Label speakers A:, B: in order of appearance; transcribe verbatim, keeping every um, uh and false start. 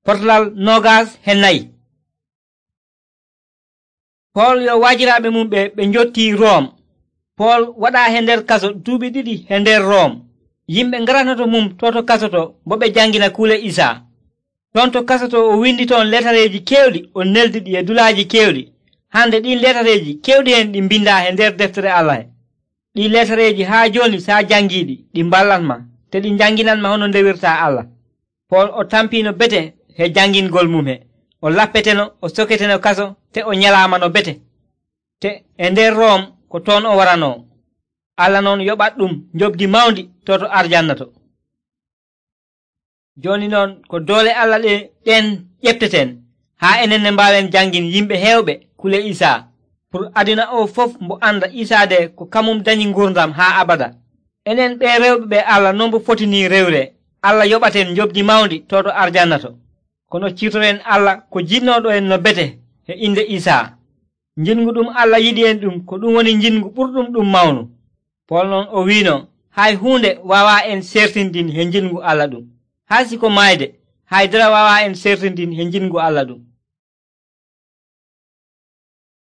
A: Potlal nogas he nayi. Pool yo waajiraaɓe mum ɓe ɓe njottii Rom. Pool waɗaa he nder kaso duuɓi ɗiɗi he nder Rom. Yimɓe ngaranoto mum toto kaso to bo ɓe jangina kuule Isaa. Ton to kaso to o windi toon letareeji keewɗi o neldi ɗi e dulaaji keewɗi. Hande ɗin letareeji keewɗi hen ɗi mbindaa he nder deftere Allah he. Ɗi letareeji haa jooni saa jangiiɗi ɗi mballatma te ɗi janginanma hono ndewirtaa Allah. Pool o tampino bete he jangingol mum he. O lappeteno o soketeno kaso te o nyalaama no bete. Te e nder Rom ko toon o waranoo. Allah noon yoɓat ɗum njobdi mawndi toto arjanna to. Jooni noon ko doole Allah ɗe ɗen ƴefteten haa enen ne mbaawen jangin yimɓe heewɓe kule Isaa pour aduna o fof mbo anda Isaa de ko kamum dañi ngurdam haa abada. Enen ɓe rewɓe ɓe Allah non bo foti ni rewre. Allah yoɓaten njobdi mawndi toto arjanna to. Kono ciitoren Allah ko jinnoɗo en no bete he inde Isaa. Jingu ɗum Allah yiɗi en ɗum ko ɗum woni jingu ɓurɗum ɗum mawnu. Pool noon o wiino hay huunde wawa en sertindin he jingu Allah ɗum. Haa siko mayde haydara wawa en sertindin he jingu Allah ɗum.